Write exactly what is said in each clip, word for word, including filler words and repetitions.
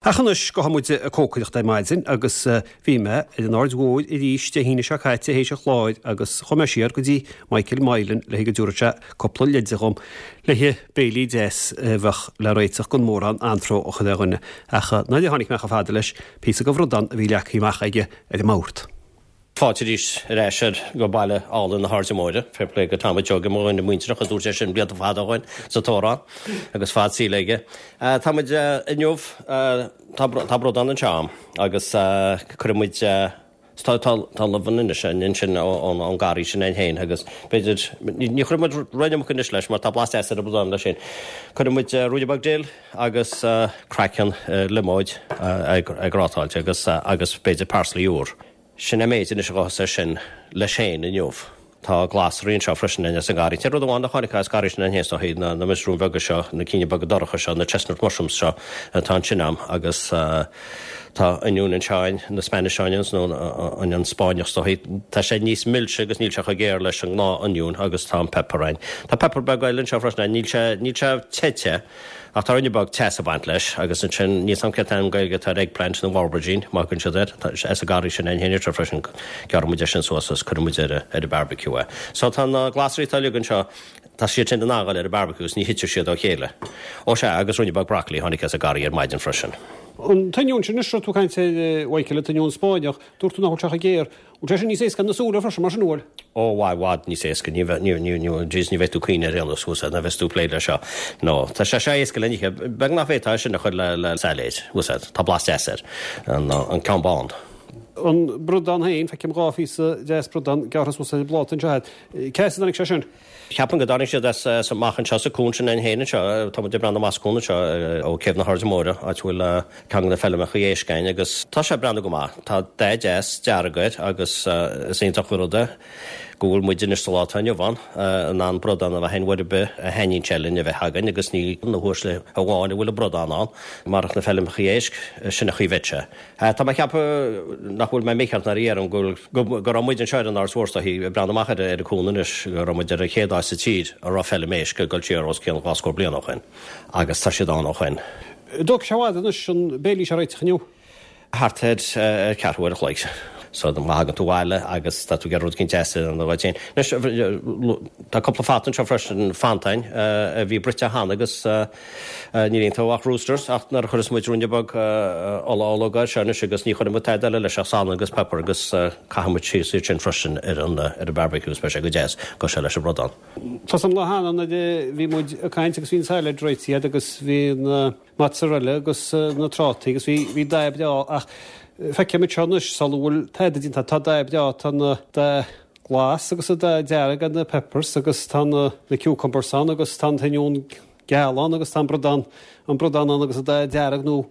Ach anois gabhfaidh muid ag cócaireacht ar maidin agus bhí mé ar an Aird Mhóir arís Dé hAoine seo caite théis an chláir agus chuaigh mé siar go dtí Michael Moylan le go dtabharfadh sé cúpla leide dhom le haghaidh béilí deas a bheadh le réiteach gan mórán anró a chur ar dhuine. Ach nuair a tháinig mé chomh fada leis, píosa de bhradán a bhí leagtha amach aige ar an mbord. Fáilte arís ar ais ar go baile álainn na hAirde Móire, fair play go Tommy Joe mo dhuine muinteartha a dúirt sé sin blianta fada ó shin sa t-amhrán agus fad saoil aige. Tá muid inniu tá bradán anseo agus cuirfidh muid tá tá luibheanna anois ansin ón garraí sin againn féin agus b'fhéidir ní chuirfidh muid roinnt amach anois leis mar tá blas deas ar an bradán leis sin. Cuirfidh muid ruainne beag dill agus craiceann liomóid grátáilte agus agus b'fhéidir parsley úr. Sin an méid anois a ghabhfas air sin leis féin inniu. Tá glasraí anseo freisin as an ngarraí. Tá rud amháin a tháinig as garraí sin féin is na na muisriúin bheaga seo, na cinn beaga dorcha seo, na chestnut mushrooms seo atá ansin a'm agus tá oinniún anseo, na Spanish onions nó onion Spáinneach is dóichí. Tá sé níos milse agus níl sé chomh géar leis an ngnáth-oinniún agus tá an pepper ann. Tá pepper beag eile anseo freisin, níl sé níl sé te te. Ach tá ruainne beag teas ag baint leis agus ansin níl 's a'm cén t-ainm Gaeilge atá ar eggplant nó aubergine má thugann siad air. Tá as an garraí sin againn féin freisin gearrfaidh muid é sin suas agus cuirfidh muid ar ar an barbecue é. So tá na glasraí atá uilig anseo tá siad sin in ann a ghabháil ar an barbecue agus ní thitfidh siad ó chéile. Ó sea agus ruainne beag broccoli tháinig as an garraí ar maidin freisin. An t-oinniún sin anois tú caint ar Mhichael an t-oinniún Spáinneach, dúirt tú nach bhfuil sé chomh géar. Bhfuil sé sin níos éasca na súile freisin mar sin bhfuil? Ó i bhfad níos éasca ní ní ní ní ní bheidh tú caoin ar aon nós thuas ná bheas tú plé le seo. No tá sé sé éasca le nithe beag nach bhféadfá sin a chur le le sailéid thuas tá blas deas air an an ceann bán. An bradán féin feicim dhá phíosa deas bradán gearrtha suas ar an bpláta anseo. Cá as a dtáinig sé sin? Ceapaim go dtáinig siad as as amach anseo sa cuan sin againn féin anseo tá muid ag breathnú amach as cuan anseo ó Céibh na hAirde Móire áit a bhfuil ceann de na feilmeacha éisc againn agus tá sé ag breathnú go maith. Tá dath deas dearg air agus is iontach an rud é go bhfuil muid anois sa lá atá inniu ann in ann bradán a bheith in uair ar bith a thaitníonn sé linn a bheith againn agus ní na huaisle amháin a bhfuil an bradán ann marach na feilmeacha éisc sin an chaoi a bheadh sé. Tá mé ag ceapadh nach bhfuil mé mícheart nuair a dheirim go go raibh muid anseo ar an Aird Mhór is ag breathnú amach ar ar an cuan anois go raibh muid ar an chéad áit sa tír a raibh feilm éisc ag dul siar os cionn dhá scór bliain ó shin agus tá siad ann ó shin. Dóigh sé bhfad anois an béilí seo réiteach inniu. Thart ar ceathrú uair a chloig. So má thagann tú abhaile agus tá tú ag iarraidh rud éicint deas a dhéanamh duit féin. Anois tá cúpla fata anseo freisin fanntáin a bhí bruite cheana agus níl iontu ach Roosters ach nuair a chuireas muid ruainne beag ola ológ air seo anois agus ní chuirfidh muid tada eile leis ach salann agus pepper agus caithfidh muid síos iad sin freisin ar an ar an barbecue is beidh sé go deas go sé leis an bradán. Tá an lá cheana nuair a bhí muid ag caint agus bhí an sailéid réitithe agus bhí na mozzarella agus na trátaí agus bhí bhí dath breá ach feicim seo anois sula bhfuil tada déanta tá dath breá tá na dath glas agus an dath dearg an na peppers agus tá na na cucumbers ann agus tá an t-oinniún geal ann agus tá an bradán an bradán ann agus an dath dearg nó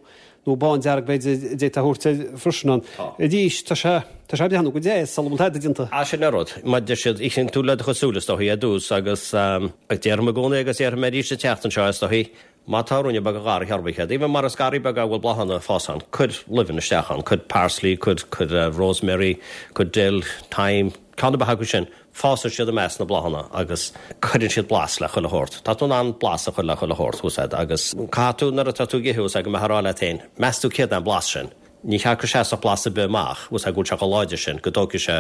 nó bándearg b'fhéidir d'fhéadfá a thabhairt air freisin ann. Arís tá sé tá sé breathnú go deas sula bhfuil tada déanta. Á sin an rud, mar deir siad itheann tú le do chuid súl is dóichí ar dtús agus déarfainn i gcónaí agus déarfaidh mé arís an tseachtain seo is dóichí má tá ruainne beag de gharraí ar bith agat, even mar is garraí beag a bhfuil bláthanna ag fás ann, cuir luibheanna isteach ann, cuir parsley, cuir cuir rosemary, cuir dill, thyme, ceann ar bith acu sin, fásann siad i measc na bláthanna agus cuireann siad blas le chuile shórt. Tá tú in ann blas a chur le chuile shórt, thuas agus caithfidh tú nuair atá tú ag ithe thuas go mbeifeá ag rá leat féin, meas tú céard é an blas sin. Ní cheart go seasfadh blas ar bith amach, thuas go bhfuil sé chomh láidir sin go dtógfaidh sé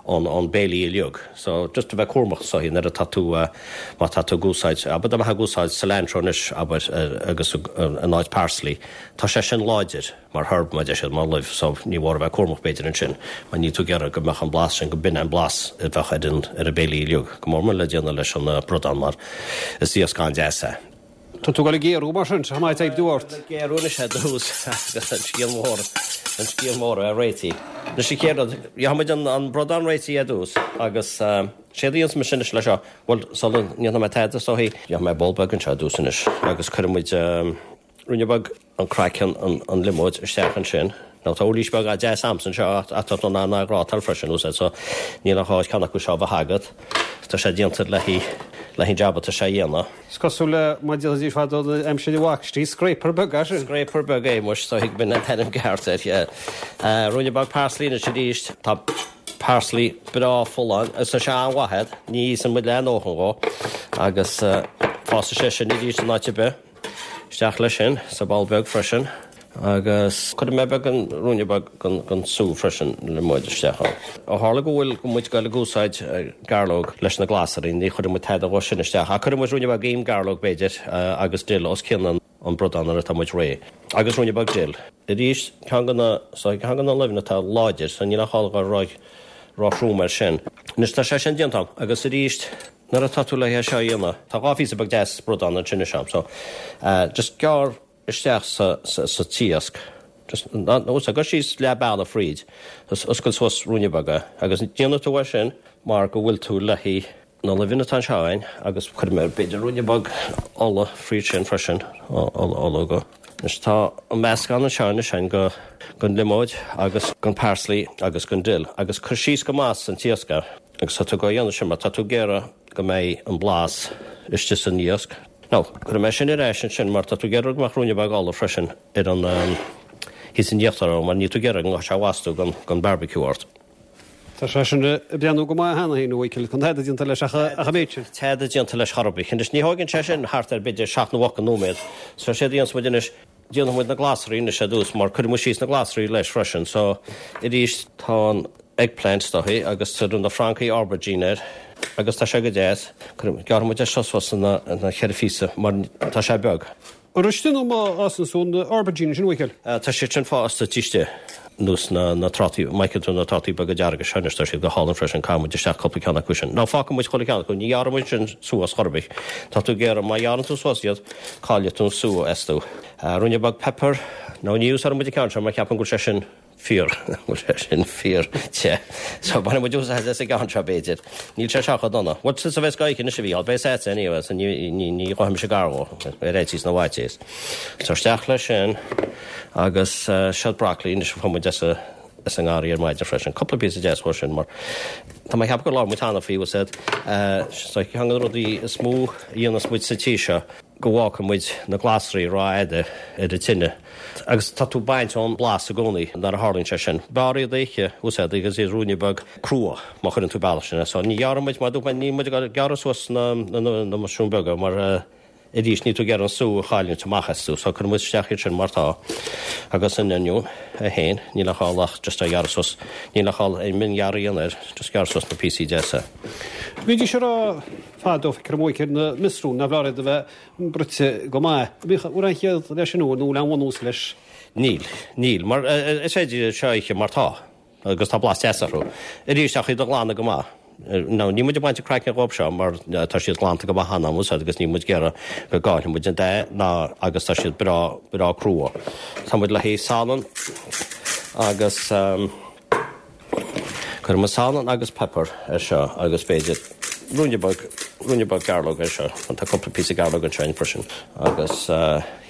an an béilí uilig. So just a bheith cúramach so nuair atá tú má tá tú ag úsáid, abair dá mbeifeá ag úsáid cilantro anois abair agus in áit parsley, tá sé sin láidir mar herb mar deir siad mar luibh, so ní mór a bheith cúramach b'fhéidir ansin, mar níl tú ag iarraidh go mbeadh an blas sin go b'in an blas a bheadh ar an ar an béilí uilig, go mór mór le déanamh leis an bradán mar is iasc an-deas é. Tá tú ag géarú mar sin, tá maith ag dúirt. Géarú anois ar dtús agus an scéal mór an scéal mór a réitigh. Anois an chéad rud, gheobhaidh muid an an bradán réitithe ar dtús agus séard a dhéanfas mise anois leis seo, bhuel sula ndéanfaidh mé tada is dóichí, gheobhaidh mé bowl beag anseo ar dtús anois agus cuirfidh muid ruainne beag an craiceann an an liomóid isteach ansin. Now tá uirlis beag deas a'msa anseo ach tá tú in ann a ghrátáil freisin úsáid so níl an ghá ceann acu seo a bheith agat. Tá sé déanta le haghaidh le haghaidh an jab atá sé a dhéanamh. Is cosúil le mar déanfaidís fadó aimsir an bhaistí, scraper beag é sin. Scraper beag é muis so thuig b'in an t-ainm ceart air, yeah. Ruainne beag parsley anois arís. Tá parsley breá folláin agus tá sé an-mhaith air, ní íosann muid leath a ndóthain dhó agus fásfaidh sé sin arís in áit ar bith. Isteach leis sin sa bpoll beag freisin. Agus cuirfidh mé beagán, ruainne beag den sú freisin liomóid isteach ann. Ó tharla go bhfuil muid ag dul ag úsáid gairleog leis na glasraí, ní chuirfidh muid tada dhó sin isteach. Ach cuirfidh muid ruainne beag im gairleog b'fhéidir agus dill os cionn an bradán nuair atá muid réidh. Agus ruainne beag dill. Arís, ceann de na, so ceann de na luibheanna atá láidir, so níl aon chall a dhul ró-throm air sin. Anois tá sé sin déanta agam agus arís nuair atá tú le hé seo a dhéanamh, tá dhá phíosa beag deas bradán ansin anois agam, so just gearr isteach sa sa t-iasc. Just nó gabh síos leath bealaigh fríd, oscail suas ruainne beag é agus déanfaidh tú é sin mar go bhfuil tú le haghaidh na luibheanna atá anseo againn agus cuirfidh mé b'fhéidir ruainne beag ola fríd sin freisin, ola ola go. Anois tá an meascán anseo anois againn go den liomóid agus den parsley agus den dill agus cuir síos go maith san t-iasc é agus tá tú ag déanamh sin mar tá tú ag iarraidh go mbeidh an blas istigh san iasc. Now, cuirfidh mé sin ar ais ansin mar tá tú ag iarraidh go mbeadh ruainne beag ola freisin ar an thíos in íochtar ann mar níl tú ag iarraidh go ngabhfaidh sé amach astu gan barbecue ort. Tá sé sin ag breathnú go maith cheana féin, a Mhichíl, gan tada déanta leis ach an méid sin. Tada déanta leis chor ar bith. Anois, ní thógann sé sin thart ar b'fhéidir seacht nó ocht nóiméad. So séard a dhéanfas muid anois, déanfaidh muid na glasraí anois ar dtús mar cuirfidh muid síos na glasraí leis freisin. So, arís, tá an eggplant istigh agus tá na francaigh aubergine air agus tá sé go deas. Gearrfaidh muid é seo suas ina cheithre phíosa mar tá sé beag. An istigh nó amuigh a fhásann sú na aubergine sin, a Mhichíl? Tá siad sin fásta istigh nós na na trátaí, má fheiceann tú na trátaí beaga dearga seo anois tá siad go hálainn freisin, caithfidh muid isteach cúpla ceann acu sin. Now fágfaidh muid chuile cheann acu, ní ghearrfaidh muid sin suas chor ar bith. Tá tú ag iarraidh, má ghearrann tú suas iad, caillfidh tú an sú astu. Ruainne beag pepper, now ní úsáidfidh muid an ceann seo mar ceapaim go bhfuil sé sin fíor, bhfuil sé sin fíor te. So bainfidh muid úsáid as an gceann seo b'fhéidir. Níl sé seo chomh dona. Bhuel tusa a bheas á ithe anois a Mhícheál, beidh a fhios agat anyway, so ní ní ní ghoidfidh mise gar dhó, ar fhaitíos na bhfaitíos. So isteach leis sin agus seo broccoli anois a fuair muid as a as an ngarraí ar maidin freisin. Cúpla píosa deas dhó sin mar tá mé ag ceapadh gur labhair muid cheana faoi, bhfuil a fhios agat. So ceann de na rudaí is mó a dhéanas muid sa tí seo go bhfágfaidh muid na glasraí rófhada ar an tine agus tá tú ag baint ón blas i gcónaí nuair a tharlaíonn sé sin. B'fhearr iad a ithe, úsáid agus iad ruainne beag crua má chuireann tú bealach sin. So ní ghearrfaidh muid, mar a dúirt mé, níl muid ag gearradh suas na na muisriúin beaga mar arís níl tú ag iarraidh an sú a chailliúint amach astu. So cuirfidh muid isteach iad sin mar tá agus an oinniún é féin, níl a chall ach just a ghearradh suas, níl a chall aon mhionghearradh a dhéanamh air, just gearr suas na píosaí deasa. Bhídís ag rá fadó feictear dom a Mhichíl na muisriúin nárbh fhearr iad a bheith bruite go maith. An bhfuil aon chiall leis sin nó an bhfuil aon bhunús leis? Níl, níl, mar is féidir iad seo a ithe mar tá agus tá blas deas orthu. Arís ach iad a ghlanadh go maith. Now níl muid ag baint an craiceann dhóibh seo mar tá siad glanta go maith cheana bhfuil a fhios agat agus níl muid ag iarraidh go gcaillfidh muid an dath ná agus tá siad breá, breá crua. Tá muid le haghaidh salann agus cuirfidh muid salann agus pepper air seo agus b'fhéidir ruainne beag, ruainne beag gairleog air seo. Tá cúpla píosa gairleog anseo freisin agus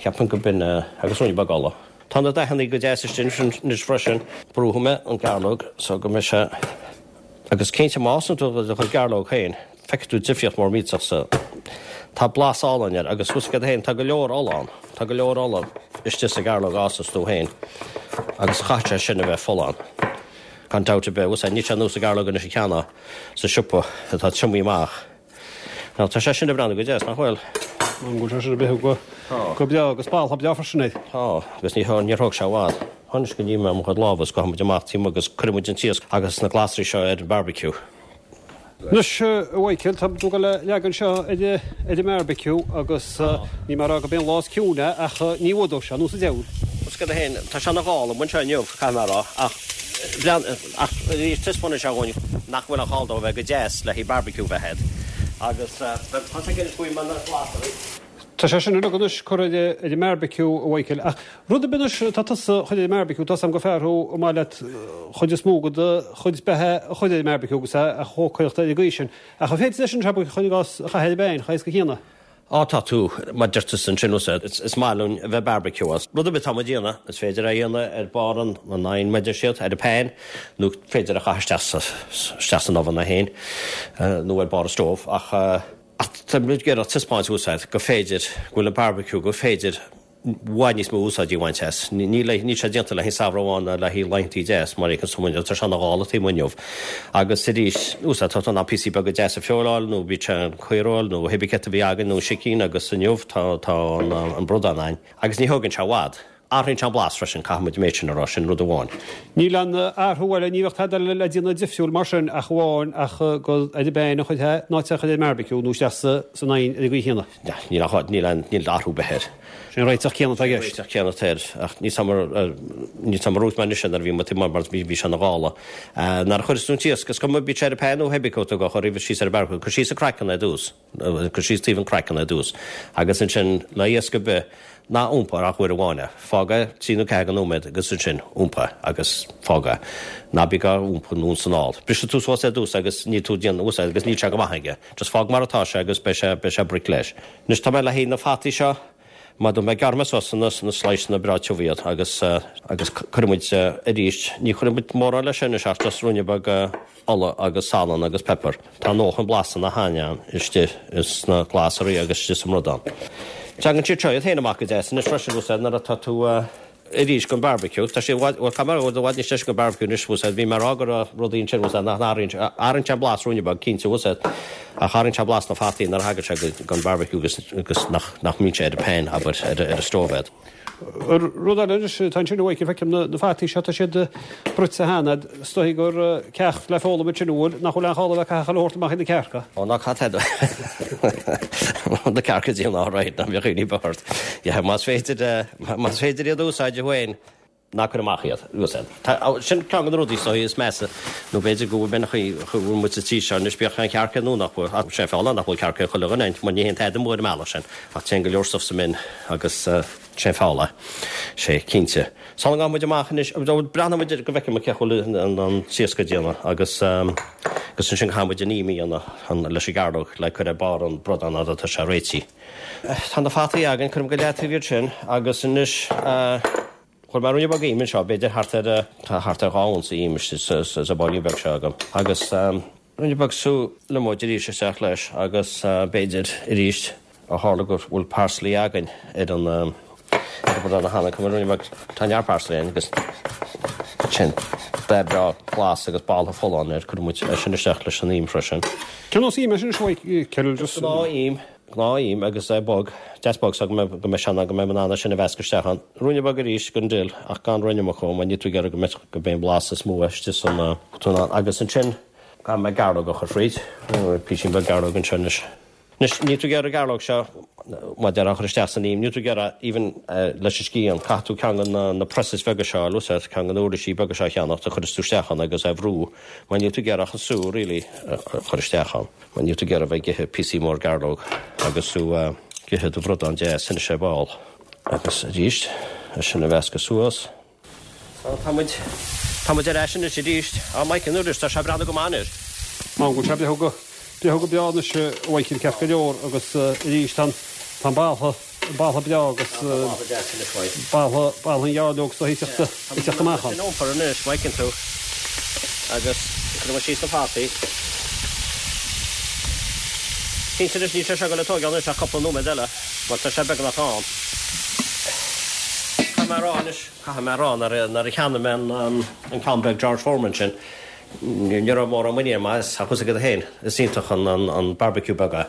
ceapaim go b'in agus ruainne beag ola. Tá na dathanna go deas istigh anois freisin. Brúfaidh mé an gairleog so go mbeidh sé agus cinnte má fhásann tú do chuid gairleog féin feicfidh tú difríocht mór millteach sa Tá blas álainn air agus bhfuil a fhios agat féin tá go leor ola ann. Tá go leor ola istigh sa ghairleog a fhásas tú féin agus chaithfeadh sé sin a bheith folláin. Gan dabht ar bith. Bhfuil a fhios agat níl sé ar nós an ghairleog anois a cheannófá sa siopa atá triomaithe amach. Now tá sé sin ag breathnú go deas, nach bhfuil? An bhfuil sé sin ag breathnú go go breá agus boladh breá freisin air. Tá, agus ní níor thóg sé i bhfad. Anois go ní mé mo chuid lámha agus gabhfaidh muid amach timpeall agus cuirfidh muid an t-iasc agus na glasraí seo ar an barbecue. Anois, a Mhichíl, tá tú ag dul a leagan seo ar ar an mbearbaiciú agus níl mé ag rá gurb é an lá is ciúine é ach ní fhuadóidh sé anuas an diabhal. Bhfuil a fhios agat féin, tá sé ina ghal amuigh anseo inniu, caithfidh mé a rá, ach blean, ach arís taispeánann sé dhúinn nach bhfuil aon chall dó a bheith go deas le haghaidh barbecue bheith agat. Agus tá sé ag inis faoi mar na glasraí. Tá sé sin uilig anois curtha ar an mbearbaiciú, a Mhichíl, ach rud ar bith anois atá tusa a chur ar an mbearbaiciú, tá a fhios agam gur fear thú ar maith leat chuid is mó de do chuid beatha a chur ar an mbearbaiciú agus a chócaireacht ar an gcaoi sin. Ach an féidir leis an seo chur i gcás a chaitheamh ar an bpeann, chomh héasca céanna? Á tá tú, mar deir tusa ansin, is maith linn a bheith barbecue. Rud ar bith atá muid a dhéanamh, is féidir é a dhéanamh ar barr an oighin, mar deir siad, ar an pan, nó féidir a chaitheamh isteach isteach san oven é féin, nó ar barr an stove, ach Ach tá muid ag iarraidh taispeáint úsáid go féidir, go bhfuil an barbecue, go féidir i bhfad níos mó úsáidí a bhaint as. Níl níl sé déanta le haghaidh samhradh amháin ná le haghaidh laethantaí deas mar fheiceann tú muid, tá sé ina ghála taobh amuigh inniu. Agus arís, úsáid, tá tú in ann píosaí beaga deasa a phioláil nó bíodh sé an caoireoil nó cibé céard a bhí againn nó sicín agus inniu tá tá an an bradán againn. Agus ní thógann sé i bhfad. Athraíonn sé an blas freisin, caithfidh muid an méid sin a rá, sin rud amháin. Níl aon athrú eile, ní bheadh tada eile le déanamh difriúil mar sin ach amháin ach go ar an bpan a chur é nó é a chur ar an mbearbaiciú nó isteach sa san oigheann ar an gcaoi chéanna. Níl ach níl aon níl athrú ar bith air. Sin an réiteach céanna atá i gceist. Réiteach céanna atá air ach níl 's a'm ar níl 's a'm ar dhúirt mé anois é nuair a bhí muid taobh amuigh mar bhí sé ina ghála. Nuair a chuireas tú an t-iasc, is cuma bíodh sé ar an pan nó hébí cé tú á chur roimhe síos ar an barbecue, cuir síos an craiceann ar dtús, cuir síos taobh an craiceann ar dtús agus ansin le iasc ar bith, Ná iompaigh ach uair amháin é. Fág é trí nó ceathair de nóiméad agus ansin iompaigh agus fág é. Ná bí á iompú anonn is anall. Brisfidh tú suas é ar dtús agus níl tú ag déanamh úsáid agus níl sé go maith aige. Just fág mar atá sé agus beidh sé, beidh sé bric leis. Anois tá mé le haghaidh na fataí seo, mar dúirt mé, gearrfaidh mé suas ina, ina sliceanna breá tiubh iad agus, agus cuirfidh muid arís, ní chuirfidh muid mórán leis sin anois ach just ruainne beag ola agus salann agus pepper. Tá a ndóthain blasanna cheana istigh sna glasraí agus istigh sa mbradán. Tagann siad seo iad féin amach go deas anois freisin bhfuil 'fhios a'd nuair atá tú arís don barbecue. Tá sé i bhfad, bhuel caithfidh mé a rá i bhfad níos deise don barbecue anois bhfuil 'fhios a'd bhí mé ag rá go raibh rudaí ansin bhfuil 'fhios a'd nach n-athraíonn sé, athraíonn sé an blas ruainne beag cinnte bhfuil 'fhios a'd ach athraíonn sé blas na fataí nuair a thagann sé don barbecue agus agus nach nach mbíonn sé ar an pan abair ar ar an stove a'd. Rud eile anois, tá ansin uaidh, feicim na na fataí seo, tá siad bruite cheana, is dóigh gur ceacht le foghlaim ansin an bhfuil, nach bhfuil aon chall a bheith ag caitheamh chuile shórt amach chuig na cearca. Ó ná caith tada na cearca díon all right, ná bíodh aon imní ort. Yeah, más féidir, más féidir iad a úsáid féin, ná cuir amach iad, úsáid. Tá, sin ceann de na rudaí is dóigh is measa, nó b'fhéidir go bhfuil mé ina chaoi, go bhfuil muid sa tír seo anois, bíodh an chearca nó nach bhfuil, ach sé an fáth nach bhfuil cearca ag chuile dhuine, mar ní théann tada amú ar an mbealach sin, ach téann go leor stuff sa mbin agus sé an fáth é. Sé, cinnte. Sula ngabhann muid amach anois, breathnóidh muid go bhfeicfidh muid cén chaoi a bhfuil an t-iasc ag déanamh agus agus ansin caithfidh muid an im a dhéanamh leis an gcearnóg le cur ar barr an bradán nuair atá sé réitithe. Tá na fataí againn, cuirfidh muid go leataobh iad sin agus anois chuir mé ruainne beag ime anseo, b'fhéidir thart ar, tá thart ar dhá unsa ime sa bpóilín beag seo agam agus ruainne beag sú liomóid arís isteach leis agus b'fhéidir arís Ó tharla go bhfuil parsley againn ar an ar an bhradán cheana, cuirfidh muid ruainne beag, tá neart parsley againn agus sin dath breá glas agus boladh folláin air, cuirfidh muid é sin isteach leis an im freisin. Cén nós ime sin a Mhichíl? Just. Gnáth-im, gnáth-im agus é bog, deas bog so go mbeidh, go mbeidh sé in ann, go mbeidh mé in ann é sin a mheascadh isteach ann. Ruainne beag arís den dill ach gan an iomarca mar níl tú ag iarraidh go mbeidh, go mbeidh an blas is mó istigh san, agus ansin caithfidh mé gearrthóg a chur fríd, písín beag gearrthóg anseo anois. Anois, níl tú ag iarraidh an ghearrthóg seo, mar a déarfá, a chur isteach san im, níl tú ag iarraidh, even leis an scian, caithfidh tú ceann de na presses beaga seo a úsáid, ceann de na uirlisí beaga seo a cheannacht a chuireas tú isteach ann agus é a bhrú, mar níl tú ag iarraidh ach an sú, really, a chur isteach ann, mar níl tú ag iarraidh bheith ag ithe píosaí mór gearrthóg agus tú ag ithe do bhradán deas anois ar ball. Agus arís, é sin a mheascadh suas. So, tá muid, tá muid ar ais anois arís. Á, Michael, an uair tá sé ag breathnú go maith anois. Má go bhfuil sé breathnú go, breathnú go breá anois, a Mhichíl, ceart go leor agus arís tá an, tá an boladh, an boladh breá agus boladh, boladh an ghearrthóg so ag teacht, ag teacht amach ann. Sin iompar anois, má fheiceann tú. Agus cuirfidh muid síos na fataí. Cinnte anois, níl sé seo ag dul a tógáil anois ach cúpla nóiméad eile, mar tá sé beagnach ann. Caithfidh mé a rá anois. Caithfidh mé a rá nuair a cheannaigh mé an ceann beag George Foreman sin, ní raibh mórán muinín agam as, ach tá 'fhios agat féin, is iontach an barbecue beag é.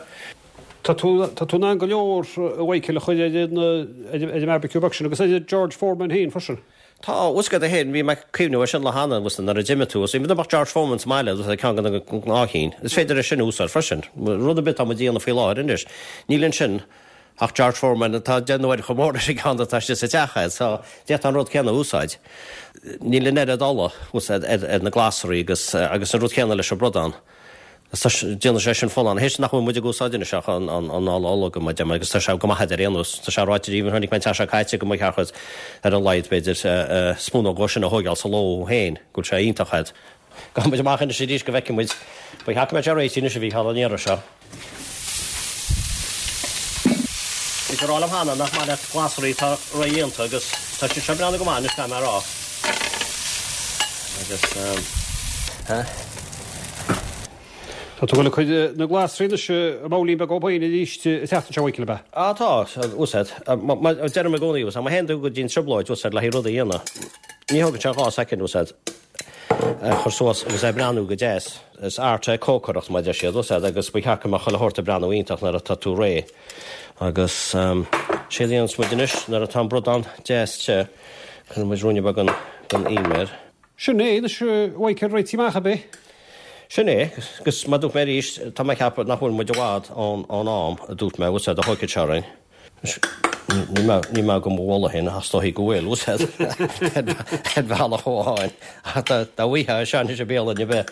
Tá tú tá tú in ann go leor, a Mhichíl, a chur ar an ar an mbarbecue beag sin agus ar an George Foreman féin freisin. Tá, tá 'fhios agat féin, bhí mé ag cuimhneamh air sin lá cheana, nuair a d'imigh tú, is dá mbeadh George Foreman sa mbaile, agus ceann de na gnáthchinn, is féidir é sin a úsáid freisin. Rud ar bith atá muid a dhéanamh faoi láthair anois, níl ansin ach George Foreman atá deich n-uaire chomh mór leis an gceann atá istigh sa teach agat, so d'fhéadfá an rud céanna a úsáid. Níl an oiread ola ar na glasraí agus agus an rud céanna leis an bradán. Déanann sé sin folláin. Théis nach bhfuil muid ag úsáid anois ach an an ola ola go mbeidh agus tá sé go maith ar aon nós. Tá sé ráite even chonaic mé an tseachtain seo caite go mba cheart ar a laghad b'fhéidir spúnóg dhó sin a thóigeáil sa ló féin, go bhfuil sé iontach agat. Gabhfaidh muid amach anois arís go bhfeicfidh muid. Ba cheart go mbeadh sé réitithe anois a Mhícheáil an iarraidh seo. Bhí tú ag rá liom cheana nach maith leat glasraí atá ródhéanta agus tá siad seo ag breathnú go maith anois caithfidh mé a rá. Agus eh. Tá tú ag dul ag cur na glasraí anois i mbabhlaín beag ó b'fhéin arís an tseachtain seo a Mhichíl, ab ea? Á tá, úsáid. Deirim i gcónaí, má théann tú go dtí an trioblóid, úsáid le haghaidh rud a dhéanamh. Ní thógann sé dhá soicind, úsáid. a chur suas agus é ag breathnú go deas. Is art é cócaireacht, mar a deir siad, úsáid, agus ba cheart go mbeadh chuile shórt ag breathnú iontach nuair atá tú réidh. Agus Sé a dhéanfas muid anois nuair atá an bradán deas te, cuirfidh muid ruainne beag den im air. Sin é anois a Mhichael réitithe amach ab é? Sin é, agus mar dúirt mé arís, tá mé ag ceapadh nach bhfuil muid i bhfad ón am a dúirt mé, bhfuil a fhios agat, a thógfaidh sé orainn. Níl mé, níl mé go mo mholadh féin, ach is dóichí go bhfuil, bhfuil a fhios agat, ar bhealach amháin. Ach dá bhfaighfeá é seo anois i mbialann ar bith,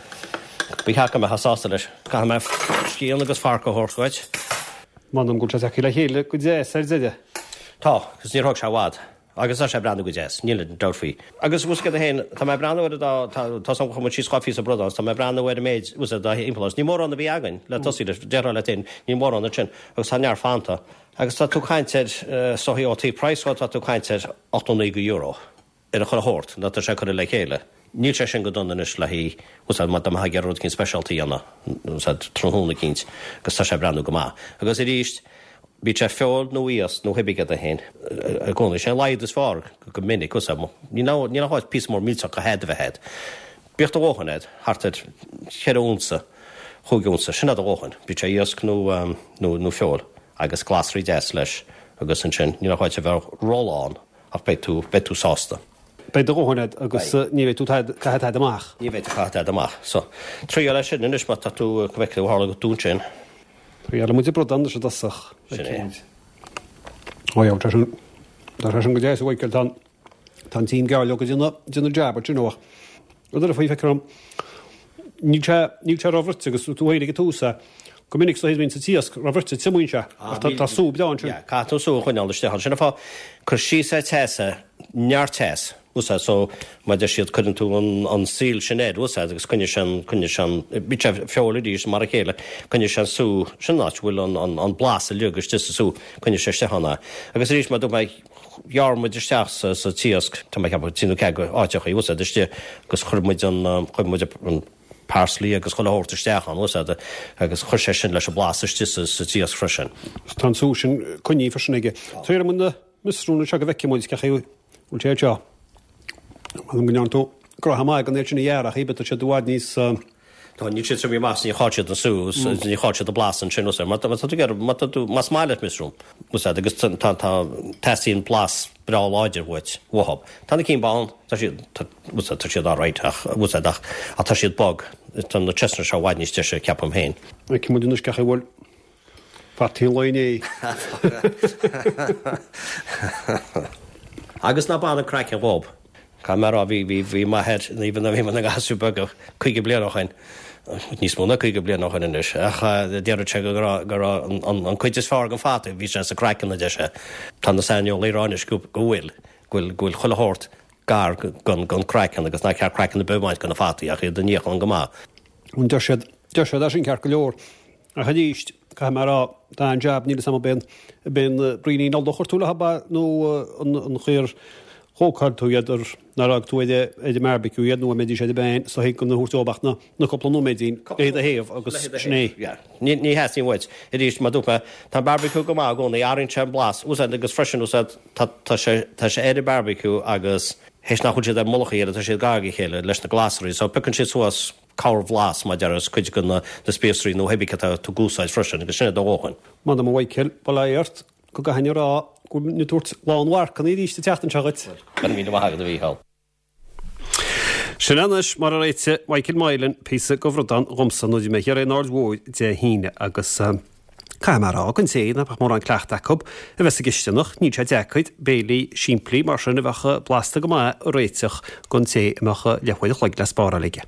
ba cheart go mbeifeá sásta leis. Caithfidh mé scian agus forc a thabhairt dhuit. M'anam go bhfuil sé tagtha le chéile go deas ar deireadh. Tá, agus níor thóg sé i bhfad. Agus tá sé ag breathnú go deas, níl aon dabht faoi. Agus bhfuil a fhios agat féin, tá mé ag breathnú ar an dá, tá, tá san chuir muid síos dhá phíosa bradán, tá mé ag breathnú ar an méid, bhfuil a fhios agat, dá thimpeall os. Ní mórán a bhí againn le tosaí leis, déarfá leat féin, níl mórán ansin, agus tá neart fanta. Agus tá tú ag caint ar, is dóichí ó thaobh praghas dhó, tá tú ag caint ar ochtó naoi go euro ar an chuile shórt, nó tá sé curtha le chéile. Níl sé sin go dona anois le haghaidh, bhfuil a fhios agat, má tá mé ag iarraidh rud eicínt speisialta a dhéanamh, bhfuil a fhios agat, tráthnóna eicínt, agus tá sé ag breathnú go maith. Agus arís, bíodh sé feoil nó iasc nó cibé céard é féin, i gcónaí, sé an laghad is fearr go minic, bhfuil a fhios agat, níl níl ach píosa mór millteach go head a bheith agat. Bíodh do dhóthain agat, thart ar cheithre unsa, chúig unsa, sin é do dhóthain, bíodh sé iasc nó nó nó feoil, agus glasraí deas leis, agus ansin níl ach a bheith rólán ach beidh tú beidh tú sásta. Beidh do dhóthain agat agus ní bheidh tú ag caitheamh tada amach. Ní bheidh tú ag caitheamh tada amach. So, triail é sin anois má tá tú, go bhfeicfidh tú a tharla go dún sin. Triailfidh muid an bradán anois i dtosach. Sin é. Ó yeah, tá sin, tá sé sin go deas a Mhichael, tá an, tá an t-im geall go déanamh, déanamh jab ansin ó. Rud eile faoi, feictear dom, níl sé, níl sé róbhruite agus tú féin ag an tús é. Go minic sa bhíonn sa t-iasc róbhruite triomaíonn sé ach tá tá sú breá ansin. Yeah, caithfidh tú sú a choinneáil isteach ann. Sin an fáth cur síos é teas é, neart teas, bhfuil a fhios agat, so mar a deir siad cuireann tú an an seal sin air, bhfuil a fhios agat, agus coinneoidh sé an coinneoidh sé an bíodh sé feoil arís mar a chéile, coinneoidh sé an sú, sin an áit a bhfuil an an an blas uilig istigh sa sú, coinneoidh sé isteach ann é. Agus arís mar dúirt mé ghearr muid isteach sa sa t-iasc, tá mé ag ceapadh trí nó ceathair áiteachaí, bhfuil a fhios agat, istigh agus chuir muid an chuir muid an parsley agus chuile shórt isteach ann, bhfuil a fhios agat, agus chuir sé sin leis an blas istigh sa sa t-iasc freisin. Tá an sú sin coinnithe freisin aige. Triailfidh muid na miosrúin anseo go bhfeicfidh muid cé chaoi a bhfuil sé anseo. M'anam go ndearna tú gnoithe maith gan iad sin a ghearradh, ach tá siad i bhfad níos Tá, níl siad triomaithe amach, ní chaill siad an sú, ní chaill siad an blas ansin, bhfuil a fhios agat. Má tá tú ag iarraidh, má tá tú, más maith leat miosrún, bhfuil a fhios agat, agus tá, tá, teastaíonn blas breá láidir uait, uathu. Tá na cinn bán, tá siad, tá, bhfuil a fhios agat, tá siad alright ach, bhfuil a fhios agat, ach, ach tá siad bog. Tá na chestnuts seo i bhfad níos deise, ceapaim féin. Feicfidh muid anois cén chaoi a bhfuil fataí an lae inné. Agus ná bain an craiceann dhób. Caithfidh mé a rá, bhí, bhí, bhí m'athair, even nuair a bhí mé ina ghasúr beag, caoga bliain ó shin, níos mó ná caoga bliain ó shin anois, ach déarfadh sé go raibh, go raibh an, an, an cuid is fearr den fhata, bhí sé sa craiceann, a deir sé. Tá na saineolaithe ag rá anois go, go bhfuil, go bhfuil, go bhfuil chuile shórt gar don, don craiceann agus nár cheart craiceann ar bith a bhaint de na fataí ach iad a níochán go maith. Deir siad, deir siad é sin ceart go leor. Ach arís, caithfidh mé a rá, tá an jab, níl 'fhios a'm ab é an, ab é an braoinín ola a chuir tú leo ab ea nó an, an chaoi ar chócáil tú iad ar, nár fhág tú ar, ar an mbearbaiciú iad nó an mbeidís ar an bpan so thig gan a thabhairt dóibh ach na, na cúpla nóiméidín le do thaobh agus sin é. Yeah. Ní, ní theastaíonn uait. Arís, mar dúirt mé, tá an barbecue go maith i gcónaí, athraíonn sé an blas, úsáid agus freisin úsáid, tá, tá sé, tá sé ar an barbecue agus théis nach bhfuil siad ar mullach a chéile, tá siad gar dá chéile leis na glasraí, so piocann siad suas corrbhlas, mar a déarfá, is cuid de na spíosraí nó cibé cad atá tú ag úsáid freisin, agus sin é do dhóthain. M'anam a Mhichael, bail ó Dhia ort, go gcaithfinn a rá go bhfuil mé ag tabhairt lán mharcanna arís an tseachtain seo dhuit. Go raibh míle maith agat, a Mhícheáil. Sin é anois mar a réitigh Michael Moylan píosa de bhradán dhomsa nuair a bhí mé thiar in Aird Mhóir Dé hAoine agus caithfidh mé a rá don té nach mbeadh mórán cleachta acu a bheith sa gcisteanach, níl sé deacair béilí simplí mar sin a bheadh blasta go maith a réiteach don té a mbeadh leathuair a chloig le spáráil aige.